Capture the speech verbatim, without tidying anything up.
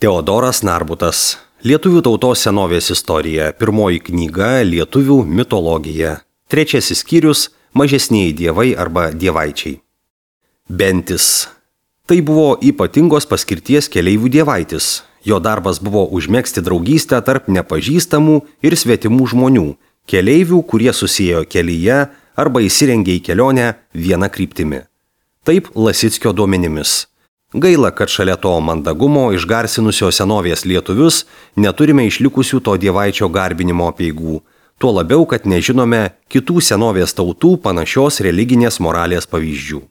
Teodoras Narbutas. Lietuvių tautos senovės istorija. Pirmoji knyga Lietuvių mitologija. Trečiasis skyrius Mažesnieji dievai arba dievaičiai. Bentis. Tai buvo ypatingos paskirties keleivių dievaitis. Jo darbas buvo užmegzti draugystę tarp nepažįstamų ir svetimų žmonių, keleivių, kurie susėjo kelyje arba įsirengė į kelionę vieną kryptimi. Taip Lasickio duomenimis. Gaila, kad šalia to mandagumo išgarsinusio senovės lietuvius neturime išlikusių to dievaičio garbinimo apeigų, tuo labiau, kad nežinome kitų senovės tautų panašios religinės moralės pavyzdžių.